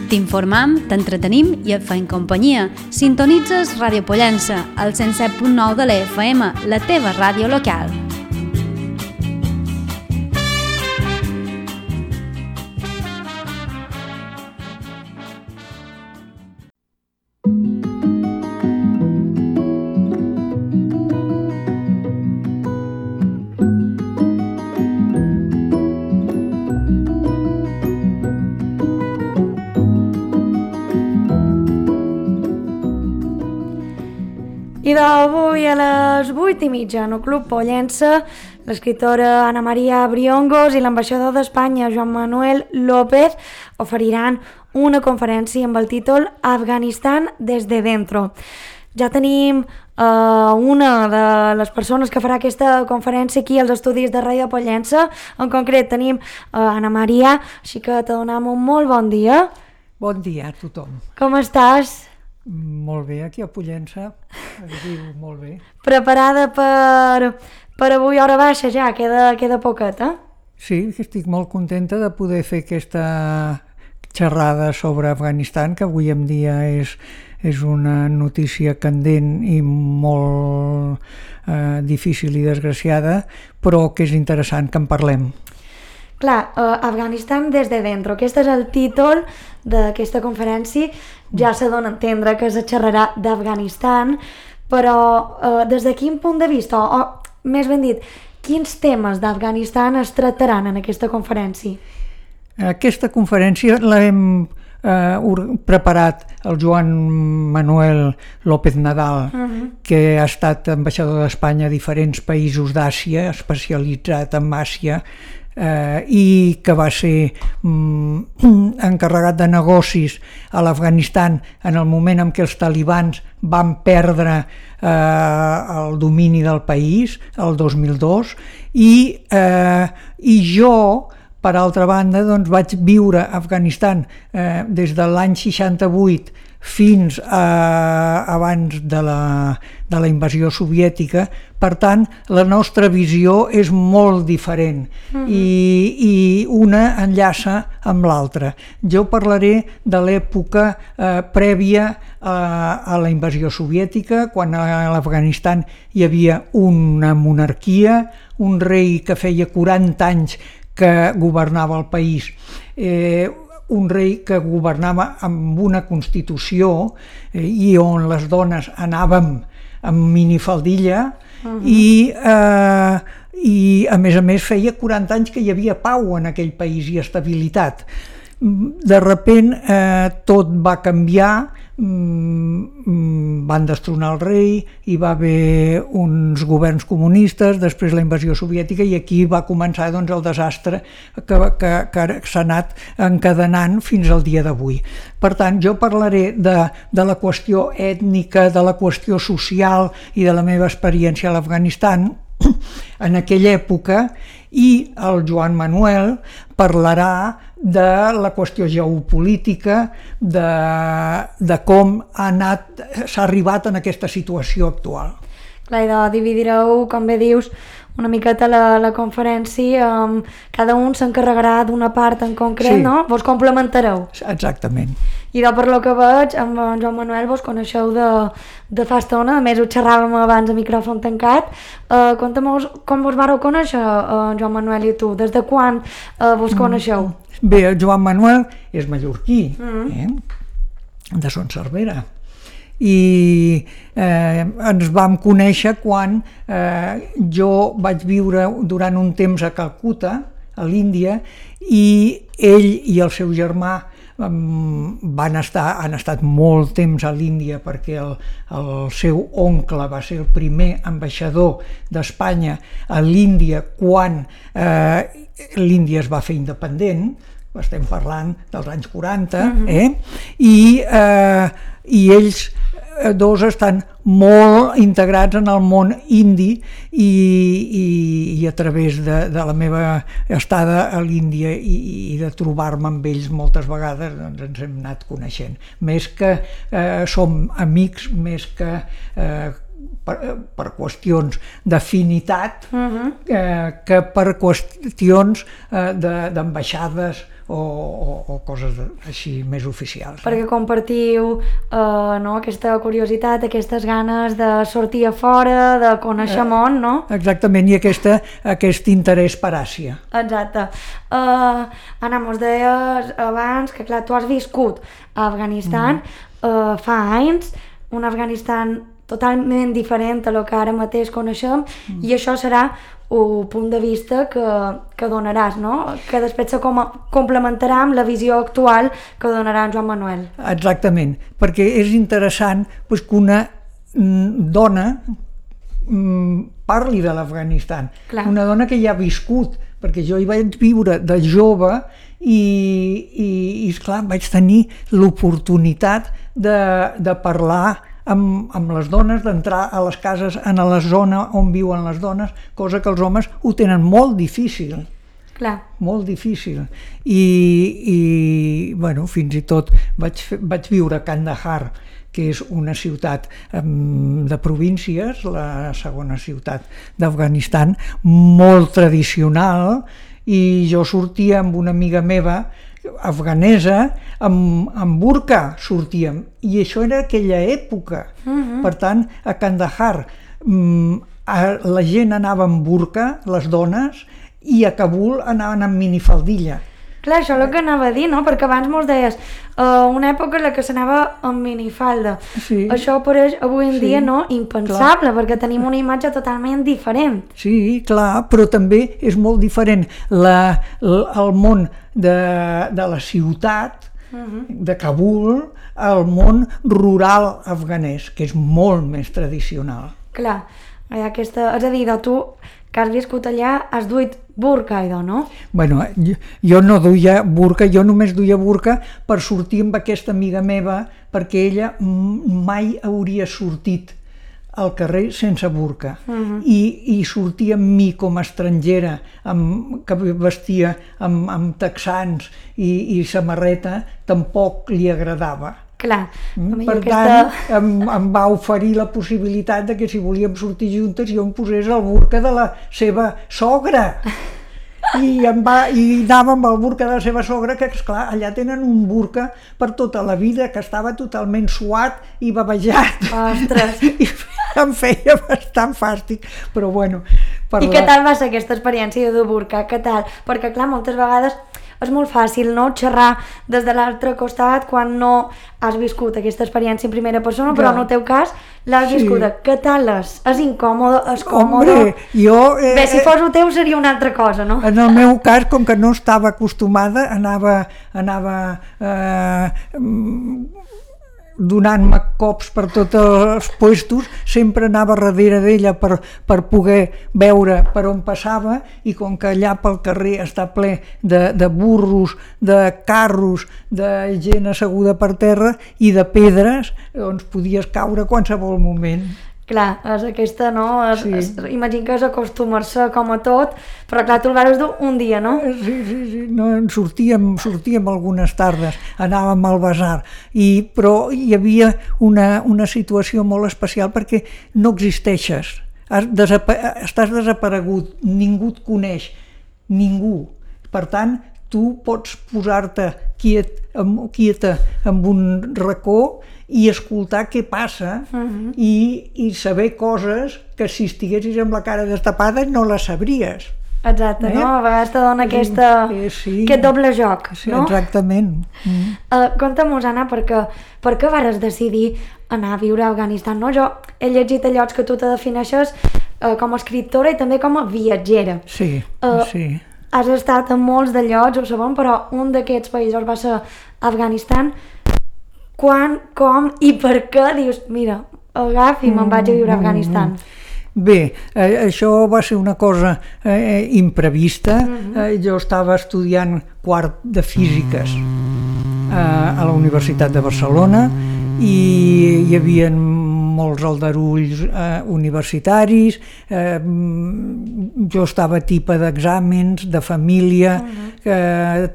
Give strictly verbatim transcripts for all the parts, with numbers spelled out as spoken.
T'informam, t'entretenim i et feim companyia. Sintonitzes Ràdio Pollença, al cent set punt nou de la F M, la teva ràdio local. I d'avui a les vuit i mitja en el Club Pollença, l'escriptora Ana Maria Briongos i l'ambaixador d'Espanya Joan Manuel López oferiran una conferència amb el títol Afganistan des de dentro. Ja tenim uh, una de les persones que farà aquesta conferència aquí als estudis de Ràdio Pollença. En concret tenim uh, Ana Maria, així que te donem un molt bon dia. Bon dia a tothom. Com estàs? Molt bé, aquí a Pollença, es diu molt bé. Preparada per, per avui hora baixa ja, queda, queda poquet, eh? Sí, estic molt contenta de poder fer aquesta xerrada sobre Afganistan, que avui en dia és, és una notícia candent i molt eh, difícil i desgraciada, però que és interessant que en parlem. Clar, uh, Afganistan des de dentro, aquest és el títol d'aquesta conferència. Ja s'ha de entendre que se xerrarà d'Afganistan, però uh, des de quin punt de vista, o, o més ben dit, quins temes d'Afganistan es tractaran en aquesta conferència? Aquesta conferència l'hem eh, preparat el Joan Manuel López Nadal, uh-huh. que ha estat ambaixador d'Espanya a diferents països d'Àsia, especialitzat en Àsia, Eh, i que va ser mm, encarregat de negocis a l'Afganistan en el moment en què els talibans van perdre eh, el domini del país, el dos mil dos, i, eh, i jo, per altra banda, doncs, vaig viure a Afganistan eh, des de l'any seixanta-vuit fins a, abans de la, de la invasió soviètica. Per tant, la nostra visió és molt diferent, uh-huh. i, i una enllaça amb l'altra. Jo parlaré de l'època eh, prèvia a, a la invasió soviètica, quan a l'Afganistan hi havia una monarquia, un rei que feia quaranta anys que governava el país, eh, un rei que governava amb una constitució eh, i on les dones anàvem amb minifaldilla, uh-huh. i, eh, i a més a més feia quaranta anys que hi havia pau en aquell país i estabilitat. De repent eh, tot va canviar, mm, van destronar el rei, hi va haver uns governs comunistes, després la invasió soviètica, i aquí va començar doncs, el desastre que, que, que s'ha anat encadenant fins al dia d'avui. Per tant, jo parlaré de, de la qüestió ètnica, de la qüestió social i de la meva experiència a l'Afganistan en aquella època, i el Joan Manuel parlarà de la qüestió geopolítica, de, de com ha anat, s'ha arribat en aquesta situació actual. Clar, i de dividireu, com bé dius, una miqueta la, la conferència, um, cada un s'encarregarà d'una part en concret, sí. No? Vos complementareu. Exactament. I de per lo que veig, amb en Joan Manuel vos coneixeu de, de fa estona, a més ho xerràvem abans a micròfon tancat. Uh, Conta'm-vos com vos vareu conèixer, uh, Joan Manuel i tu, des de quan uh, vos coneixeu? Bé, el Joan Manuel és mallorquí, mm. eh? de Son Cervera, i eh, ens vam conèixer quan eh, jo vaig viure durant un temps a Calcuta, a l'Índia, i ell i el seu germà van estar, han estat molt temps a l'Índia, perquè el, el seu oncle va ser el primer ambaixador d'Espanya a l'Índia quan eh, l'Índia es va fer independent. Estem parlant dels anys quaranta, uh-huh. eh? I, eh, i ells dos estan molt integrats en el món indi, i, i, i a través de, de la meva estada a l'Índia i, i de trobar-me amb ells moltes vegades, doncs ens hem anat coneixent. Més que eh, som amics, més que eh, per, per qüestions d'afinitat, uh-huh. eh, que per qüestions eh, de, d'ambaixades o, o, o coses de, així més oficials. Perquè compartiu eh, no, aquesta curiositat, aquestes ganes de sortir a fora, de conèixer eh, món, no? Exactament, i aquesta, aquest interès per Àsia. Exacte. Uh, Anna, mos deies abans que, clar, tu has viscut a Afganistan mm. uh, fa anys, un Afganistan totalment diferent a lo que ara mateix coneixem, mm. i això serà un punt de vista que, que donaràs, no? Que després se com complementarà amb la visió actual que donarà en Joan Manuel. Exactament, perquè és interessant pues, que una mm, dona mm, parli de l'Afganistan. Una dona que ja ha viscut, perquè jo hi vaig viure de jove i, i, i esclar, vaig tenir l'oportunitat de, de parlar Amb, amb les dones, d'entrar a les cases en la zona on viuen les dones, cosa que els homes ho tenen molt difícil. Clar. Molt difícil. I, i bueno, fins i tot vaig, vaig viure a Kandahar, que és una ciutat um, de províncies, la segona ciutat d'Afganistan, molt tradicional, i jo sortia amb una amiga meva afganesa, amb, amb burca sortíem, i això era aquella època. Uh-huh. Per tant, a Kandahar la gent anava amb burca, les dones, i a Kabul anaven amb minifaldilla. Clar, això és el que anava a dir, no? Perquè abans mos deies uh, una època en la que s'anava amb minifalda. Sí. Això pareix avui en sí, dia no impensable, clar, perquè tenim una imatge totalment diferent. Sí, clar, però també és molt diferent la, la, el món de, de la ciutat, uh-huh, de Kabul, al món rural afganès, que és molt més tradicional. Clar, aquesta, és a dir, de tu que has viscut allà, has duit burca, idò, no? Bueno, jo, jo no duia burca, jo només duia burca per sortir amb aquesta amiga meva, perquè ella mai hauria sortit al carrer sense burca. Uh-huh. I, i sortir amb mi com a estrangera, amb, que vestia amb, amb texans i, i samarreta, tampoc li agradava. Clar. Per aquesta... tant, em, em va oferir la possibilitat de que si volíem sortir juntes jo em posés el burca de la seva sogra. I, em va, i anava amb el burca de la seva sogra, que esclar, allà tenen un burca per tota la vida, que estava totalment suat i babejat. Ostres! I em feia bastant fàstic, però bueno... I la... què tal va ser aquesta experiència de burca? Què tal? Perquè clar, moltes vegades és molt fàcil, no?, xerrar des de l'altre costat quan no has viscut aquesta experiència en primera persona, però en el teu cas l'has sí. viscuda. Què tal és? És incòmode? És còmode? Hombre, jo... Eh, Bé, si fos el teu seria una altra cosa, no? En el meu cas, com que no estava acostumada, anava... anava eh, donant-me cops per tots els puestos, sempre anava darrere d'ella per, per poder veure per on passava, i com que allà pel carrer està ple de, de burros, de carros, de gent asseguda per terra i de pedres, doncs podies caure a qualsevol moment. Clar, és aquesta, no? És, sí. és, imagino que és acostumar-se com a tot, però clar, tu el vas dur un dia, no? Sí, sí, sí. No, sortíem, sortíem algunes tardes, anàvem al basar, i, però hi havia una, una situació molt especial perquè no existeixes, has desapa estàs desaparegut, ningú et coneix, ningú. Per tant, tu pots posar-te quiet, quieta en un racó i escoltar què passa, uh-huh, i, i saber coses que si estiguessis amb la cara destapada no les sabries. Exacte, eh? No? A vegades te dona aquesta, eh, sí. aquest doble joc, sí, no? Exactament. Mm. Uh, Conta-mos, Anna, per què, per què vares decidir anar a viure a Afganistan, no? Jo he llegit a llocs que tu te defineixes uh, com a escriptora i també com a viatgera. Sí, uh, sí. Has estat en molts de llocs, ho sabem, però un d'aquests països va ser Afganistan. Quan, com i per què dius, mira, agafi i me'n vaig a viure a Afganistan? Bé, eh, això va ser una cosa eh, imprevista. Uh-huh. eh, jo estava estudiant quart de físiques eh, a la Universitat de Barcelona i hi havia molts aldarulls eh, universitaris, eh, jo estava tipa d'exàmens, de família, uh-huh, que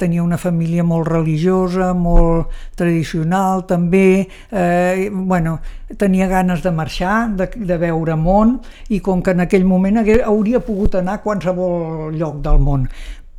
tenia una família molt religiosa, molt tradicional també, eh, bueno, tenia ganes de marxar, de, de veure món, i com que en aquell moment hagués, hauria pogut anar a qualsevol lloc del món,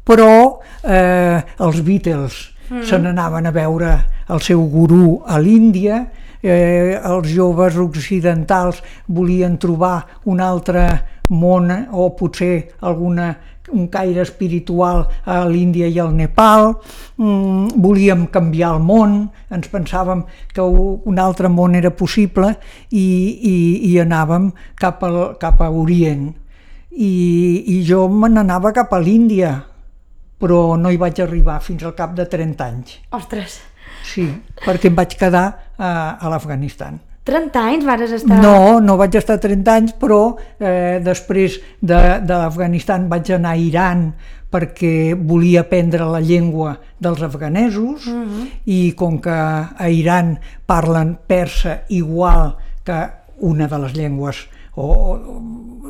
però eh, els Beatles mm. se n'anaven a veure el seu gurú a l'Índia, eh, els joves occidentals volien trobar un altre món o potser alguna, un caire espiritual a l'Índia i al Nepal, mm, volíem canviar el món, ens pensàvem que un altre món era possible i, i, i anàvem cap, al, cap a Orient. I, i jo me n'anava cap a l'Índia, però no hi vaig arribar fins al cap de trenta anys. Ostres! Sí, perquè em vaig quedar a, a l'Afganistan. trenta anys vas estar... No, no vaig estar trenta anys, però eh, després de, de l'Afganistan vaig anar a Iran perquè volia aprendre la llengua dels afganesos uh-huh. i com que a Iran parlen persa igual que una de les llengües o,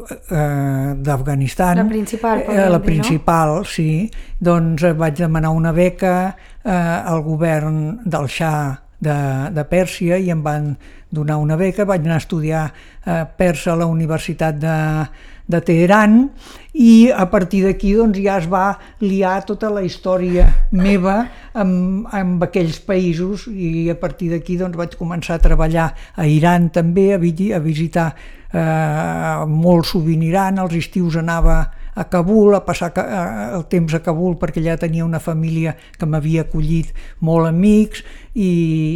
eh, d'Afganistan, la principal, eh, la dir, principal, no? Sí, doncs vaig demanar una beca eh, al govern del Shah de, de Pèrsia i em van donar una beca, vaig anar a estudiar eh, persa a la Universitat de, de Teheran i a partir d'aquí doncs, ja es va liar tota la història meva amb, amb aquells països i a partir d'aquí doncs, vaig començar a treballar a Iran també, a, a visitar eh, molt sovint Iran, als estius anava a Kabul, a passar el temps a Kabul perquè ja tenia una família que m'havia acollit molt amics i,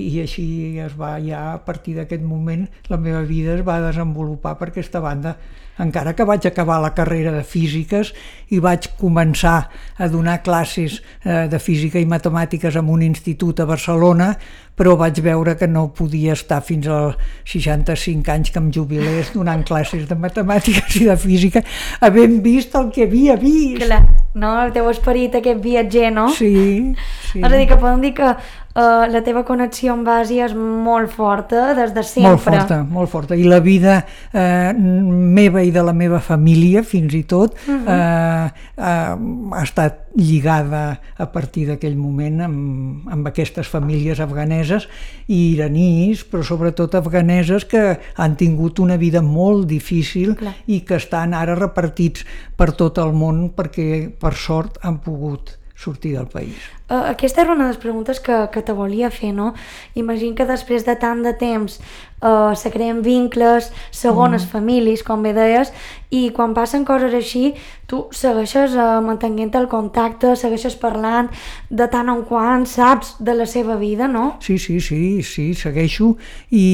i així es va ja a partir d'aquest moment la meva vida es va desenvolupar per aquesta banda, encara que vaig acabar la carrera de físiques i vaig començar a donar classes eh, de física i matemàtiques en un institut a Barcelona, però vaig veure que no podia estar fins als seixanta-cinc anys que em jubilés donant classes de matemàtiques i de física, havent vist el que havia vist. Clar, no? El teu esperit, aquest viatger, no? Sí, sí. És a dir, que podem dir que uh, la teva connexió amb Àsia és molt forta des de sempre. Molt forta, molt forta. I la vida eh, meva i de la meva família, fins i tot, uh-huh. eh, eh, ha estat lligada a partir d'aquell moment amb, amb aquestes famílies afganeses i iranís, però sobretot afganeses que han tingut una vida molt difícil. Clar. I que estan ara repartits per tot el món perquè, per sort, han pogut sortir del país. Uh, aquesta era una de les preguntes que, que te volia fer, no? Imagino que després de tant de temps uh, se creen vincles, segones mm. famílies, com bé deies, i quan passen coses així, tu segueixes uh, mantenint el contacte, segueixes parlant de tant en quant, saps de la seva vida, no? Sí, sí, sí, sí, segueixo, i,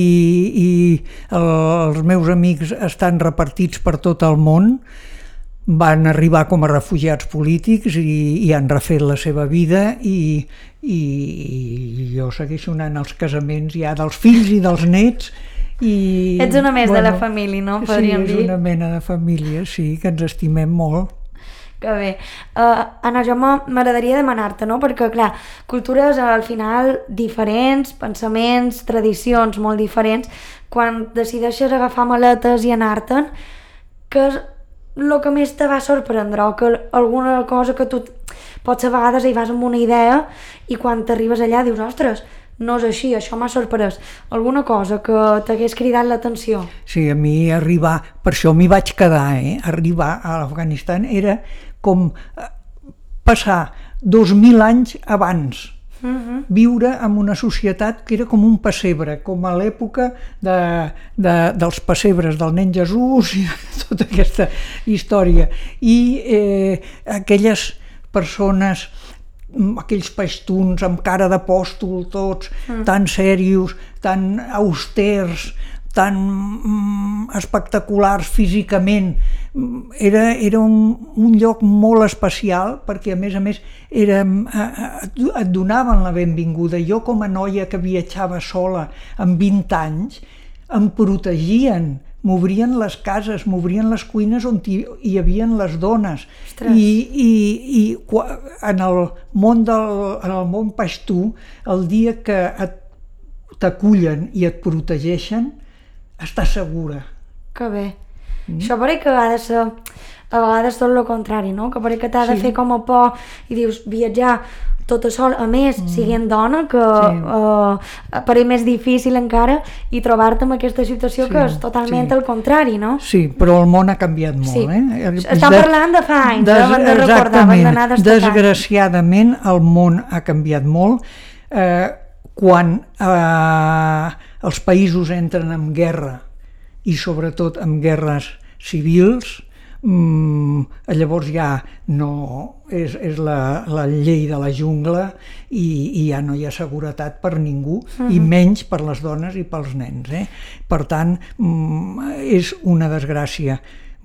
i el, els meus amics estan repartits per tot el món, van arribar com a refugiats polítics i, i han refet la seva vida i, i, i jo segueixo anant als casaments ja dels fills i dels nets. I, ets una més bueno, de la família, no? Podríem dir. Sí, és una mena de família, sí, que ens estimem molt. Que bé. Uh, Anna, jo m'agradaria demanar-te, no? Perquè, clar, cultures al final diferents, pensaments, tradicions molt diferents, quan decideixes agafar maletes i anar-te'n, que el que més te va sorprendre o que alguna cosa que tu pots a vegades hi vas amb una idea i quan t'arribes allà dius, ostres, no és així, això m'ha sorprès. Alguna cosa que t'hagués cridat l'atenció? Sí, a mi arribar, per això m'hi vaig quedar, eh? Arribar a l'Afganistan era com passar dos mil anys abans. Uh-huh. Viure en una societat que era com un pessebre, com a l'època de, de, dels pessebres del nen Jesús i tota aquesta història. I eh, aquelles persones, aquells paixtuns amb cara d'apòstol tots, uh-huh. tan serios, tan austers, tan mm, espectaculars físicament, era, era un, un lloc molt especial perquè a més a més era, et donaven la benvinguda. Jo com a noia que viatjava sola amb vint anys em protegien, m'obrien les cases, m'obrien les cuines on hi, hi havia les dones. Ostres. I, i, i en el món del, en el món paixtú, el dia que et, t'acullen i et protegeixen, estàs segura. Que bé. Mm. Això pare que ha de ser a vegades tot el contrari, no? Que pare que t'ha de sí. fer com a por i dius viatjar tota sol, a més, mm. siguent dona, que sí. uh, per ell més difícil encara, i trobar-te en aquesta situació sí, que és totalment sí. el contrari, no? Sí, però el món ha canviat molt, sí. eh? Estan de, parlant de fa anys, des, eh? de recordar, van d'anar destacant. Desgraciadament, el món ha canviat molt. Eh, quan eh, els països entren en guerra, i sobretot en guerres civils, Mm, llavors ja no és, és la, la llei de la jungla i, i ja no hi ha seguretat per ningú, uh-huh. i menys per les dones i pels nens, eh? Per tant, mm, és una desgràcia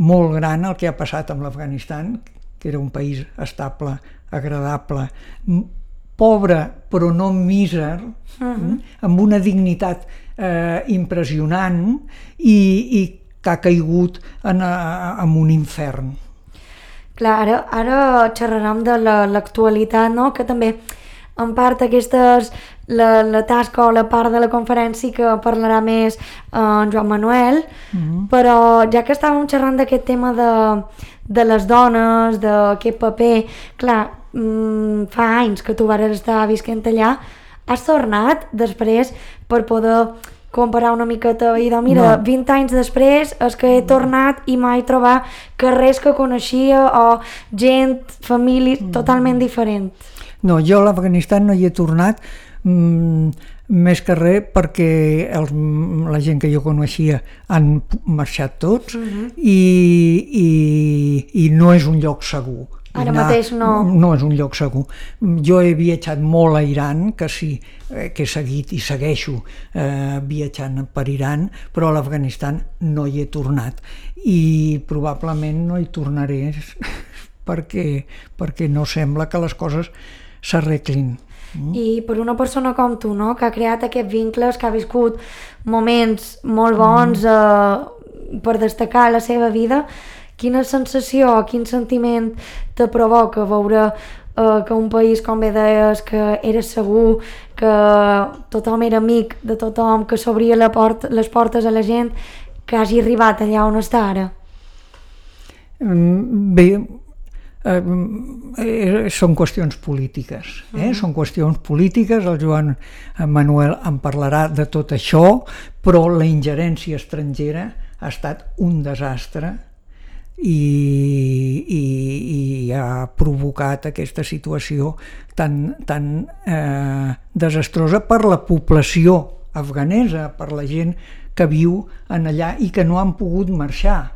molt gran el que ha passat amb l'Afganistan, que era un país estable, agradable, pobre però no míser, uh-huh. amb una dignitat eh, impressionant i, i que ha caigut en, en un infern. Clar, ara, ara xerrarem de l'actualitat, no? Que també en part aquesta és la, la tasca o la part de la conferència que parlarà més eh, en Joan Manuel, mm-hmm. però ja que estàvem xerrant d'aquest tema de, de les dones, d'aquest paper, clar, mm, fa anys que tu vas estar visquent allà, has tornat després per poder comparar una miqueta i dir, mira, no. vint anys després és que he tornat i mai trobar carrers que coneixia o gent, famílies mm. totalment diferent. No, jo a l'Afganistan no hi he tornat mm, més que res perquè els, la gent que jo coneixia han marxat tots mm-hmm. i, i, i no és un lloc segur. Ara anar, mateix no... No és un lloc segur. Jo he viatjat molt a Iran, que sí, eh, que he seguit i segueixo eh, viatjant per Iran, però a l'Afganistan no hi he tornat. I probablement no hi tornaré perquè, perquè no sembla que les coses s'arreglin. Mm. I per una persona com tu, no?, que ha creat aquests vincles, que ha viscut moments molt bons mm. eh, per destacar la seva vida, quina sensació o quin sentiment te provoca veure eh, que un país, com bé deies, que era segur, que tothom era amic de tothom, que s'obria la port, les portes a la gent, que hagi arribat allà on està ara? Bé, eh, són qüestions polítiques, eh? Uh-huh. Són qüestions polítiques, el Joan Manuel en parlarà de tot això, però la ingerència estrangera ha estat un desastre I, i, i ha provocat aquesta situació tan, tan eh, desastrosa per la població afganesa, per la gent que viu en allà i que no han pogut marxar.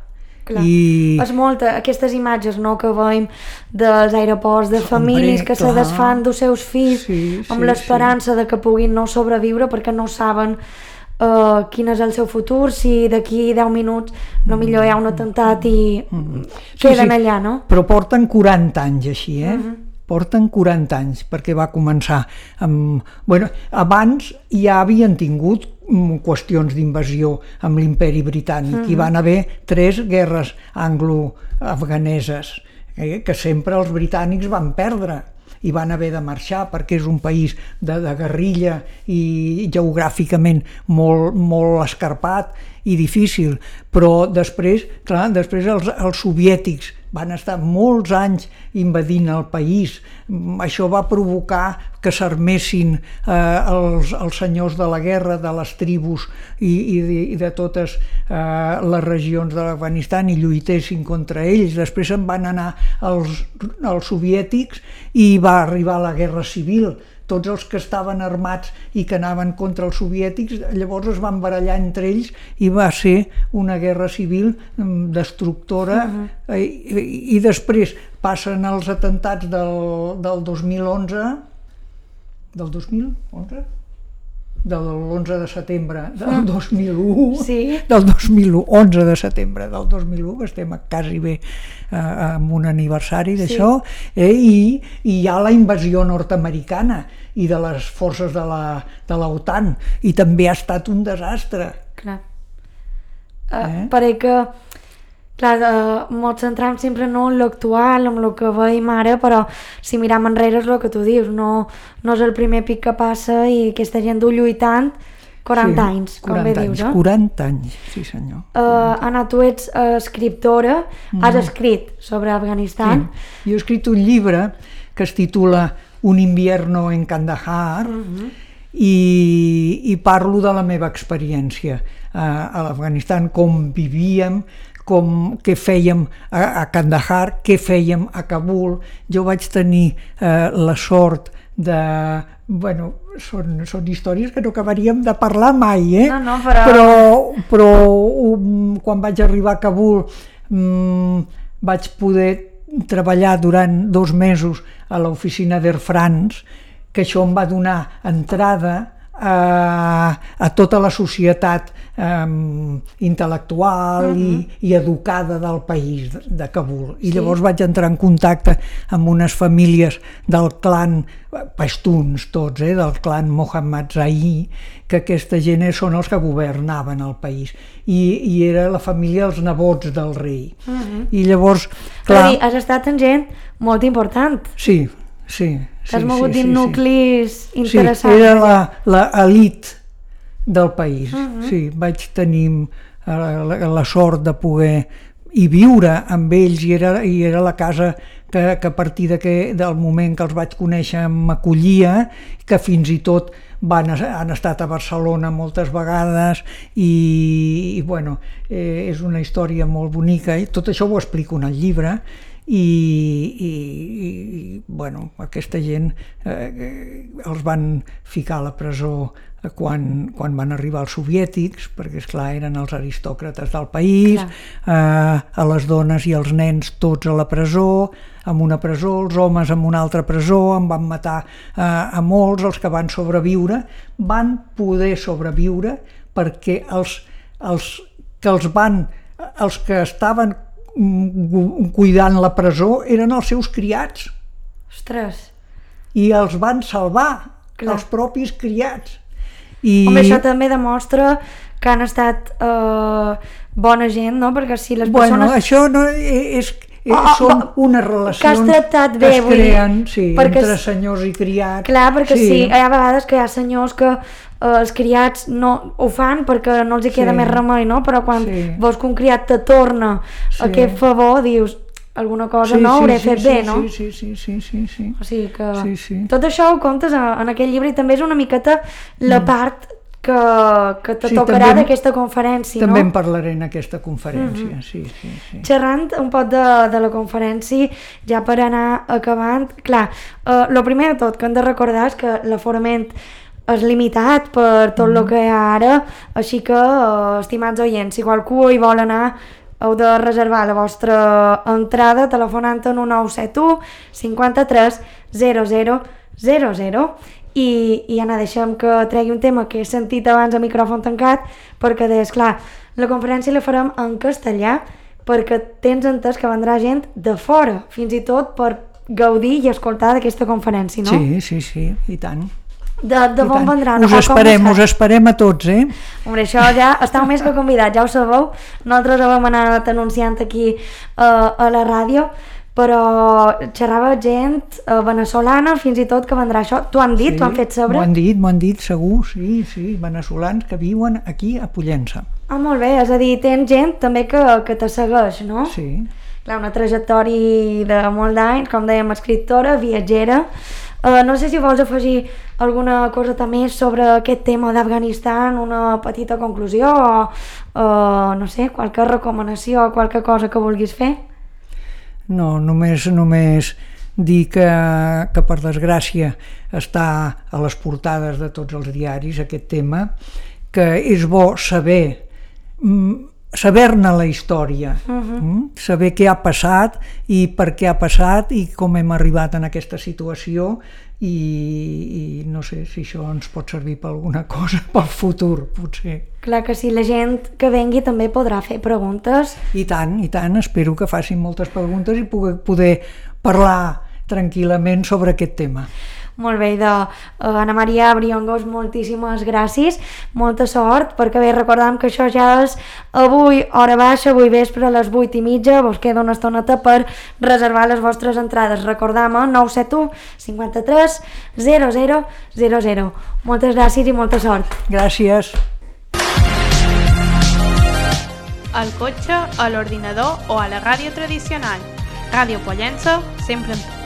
Clar. I... És molta, aquestes imatges, no?, que veiem dels aeroports, de famílies que clar. Se desfan dels seus fills sí, amb sí, l'esperança sí. de que puguin no sobreviure perquè no saben Uh, quin és el seu futur, si d'aquí deu minuts no millor hi ha un atemptat i mm. queden sí, sí. allà, no? Però porten quaranta anys així, eh? Uh-huh. Porten quaranta anys, perquè va començar amb... Bueno, abans ja havien tingut qüestions d'invasió amb l'imperi britànic uh-huh. i van haver tres guerres anglo-afganeses eh, que sempre els britànics van perdre i van haver de marxar perquè és un país de, de guerrilla i geogràficament molt, molt escarpat i difícil, però després, clar, després els, els soviètics van estar molts anys invadint el país. Això va provocar que s'armessin eh, els, els senyors de la guerra, de les tribus i, i, de, i de totes eh, les regions de l'Afganistan i lluitessin contra ells. Després se'n van anar els, els soviètics i va arribar la guerra civil. Tots els que estaven armats i que anaven contra els soviètics llavors es van barallar entre ells i va ser una guerra civil destructora. Uh-huh. I, i després passen els atemptats del, del dos mil onze del dos mil onze? De l'onze de setembre del dos mil u, sí. del dos mil u, onze de setembre del dos mil u, que estem quasi bé eh, amb un aniversari d'això, sí. eh, i, i hi ha la invasió nord-americana i de les forces de la, de l'OTAN, i també ha estat un desastre. Clar. Uh, eh? Perquè que clar, uh, ens centram sempre no en l'actual, en el que veiem ara, però si miram enrere és el que tu dius, no, no és el primer pic que passa i aquesta gent ho lluitant quaranta sí, anys, com bé dius, eh? quaranta anys, sí senyor. Uh, Anna, tu ets uh, escriptora, mm. has escrit sobre Afganistan. Sí. Jo he escrit un llibre que es titula Un invierno en Kandahar, mm-hmm. i, i parlo de la meva experiència uh, a l'Afganistan, com vivíem, com, què fèiem a, a Kandahar, què fèiem a Kabul. Jo vaig tenir uh, la sort de... Bueno, són, són històries que no acabaríem de parlar mai, eh? No, no, però... Però, però um, quan vaig arribar a Kabul um, vaig poder treballar durant dos mesos a l'oficina d'Air France, que això em va donar entrada a, a tota la societat um, intel·lectual uh-huh. i, i educada del país de, de Kabul. I sí. Llavors vaig entrar en contacte amb unes famílies del clan pastuns tots, eh, del clan Mohammad Zahir, que aquesta gent són els que governaven el país. I, i era la família dels nebots del rei. Uh-huh. I llavors, clar... Dir, has estat en gent molt important. Sí, sí. Que has sí, mogut sí, dins sí, nuclis sí. interessants. Sí, era l'elit del país. Uh-huh. Sí, vaig tenir la, la, la sort de poder i viure amb ells, i era, i era la casa que, que a partir de que, del moment que els vaig conèixer m'acollia, que fins i tot van, han estat a Barcelona moltes vegades i, i bueno, eh, és una història molt bonica, i tot això ho explico en el llibre. I, i, i bueno, aquesta gent eh, els van ficar a la presó quan, quan van arribar els soviètics, perquè esclar eren els aristòcrates del país, eh, a les dones i els nens tots a la presó, en una presó, els homes en una altra presó, en van matar eh, a molts. Els que van sobreviure van poder sobreviure perquè els, els que els van, els que estaven cuidant la presó eren els seus criats. Ostres. I els van salvar, clar. Els propis criats. I... Home, això també demostra que han estat eh, bona gent, no? Perquè si les bueno, persones... això no és... Eh, oh, són oh, unes relacions que, has tractat bé, que es creen sí, perquè, entre senyors i criats. Clar, perquè sí. sí, hi ha vegades que hi ha senyors que eh, els criats no ho fan perquè no els hi queda sí. més remei, no? Però quan sí. veus que un criat te torna sí. aquest favor, dius alguna cosa sí, no sí, hauré sí, fet sí, bé, sí, no? Sí, sí, sí, sí, sí. O sigui que sí, sí. tot això ho comptes en aquell llibre i també és una miqueta la mm. part que, que te sí, tocarà d'aquesta conferència, també no? També en parlaré en aquesta conferència, mm-hmm. sí, sí, sí. Xerrant un poc de, de la conferència, ja per anar acabant, clar, el eh, primer de tot que hem de recordar és que l'aforament és limitat per tot el mm. que hi ha ara, així que, eh, estimats oients, si qualcú hi vol anar, heu de reservar la vostra entrada telefonant en un nou set u cinquanta-tres zero zero zero zero. I, i Anna, deixem que tregui un tema que he sentit abans a micròfon tancat, perquè deies, clar, la conferència la farem en castellà perquè tens entès que vendrà gent de fora, fins i tot per gaudir i escoltar d'aquesta conferència, no? Sí, sí, sí, i tant. De, de on vendran? Us esperem, us esperem a tots, eh? Hombre, això ja estàu més que convidats, ja ho sabeu. Nosaltres ho vam anat anunciant aquí uh, a la ràdio, però xerrava gent uh, veneçolana, fins i tot que vendrà això. T'ho han dit? Sí, t'ho han fet saber? M'ho han dit, m'ho han dit segur, sí, sí, veneçolans que viuen aquí a Pollença. Ah, molt bé, és a dir, tens gent també que, que te segueix, no? Sí. Clar, una trajectòria de molt d'anys, com dèiem, escriptora, viatgera. Uh, no sé si vols afegir alguna cosa més sobre aquest tema d'Afganistan, una petita conclusió o, uh, no sé, qualque recomanació o qualque cosa que vulguis fer? No, només, només dir que, que per desgràcia està a les portades de tots els diaris aquest tema, que és bo saber saber-ne la història, uh-huh. saber què ha passat i per què ha passat i com hem arribat en aquesta situació i, i no sé si això ens pot servir per alguna cosa pel futur, potser. Clar que sí, la gent que vengui també podrà fer preguntes. I tant, i tant, espero que facin moltes preguntes i poder, poder parlar tranquil·lament sobre aquest tema. Molt bé, de uh, Ana Maria Briongos, moltíssimes gràcies, molta sort, perquè bé, recordam que això ja és avui, hora baixa, avui vespre a les vuit i mitja, vos queda una estoneta per reservar les vostres entrades. Recordam, eh? nou set u cinquanta-tres zero zero zero zero. Moltes gràcies i molta sort. Gràcies. Al cotxe, a l'ordinador o a la ràdio tradicional. Ràdio Pollença, sempre amb tu.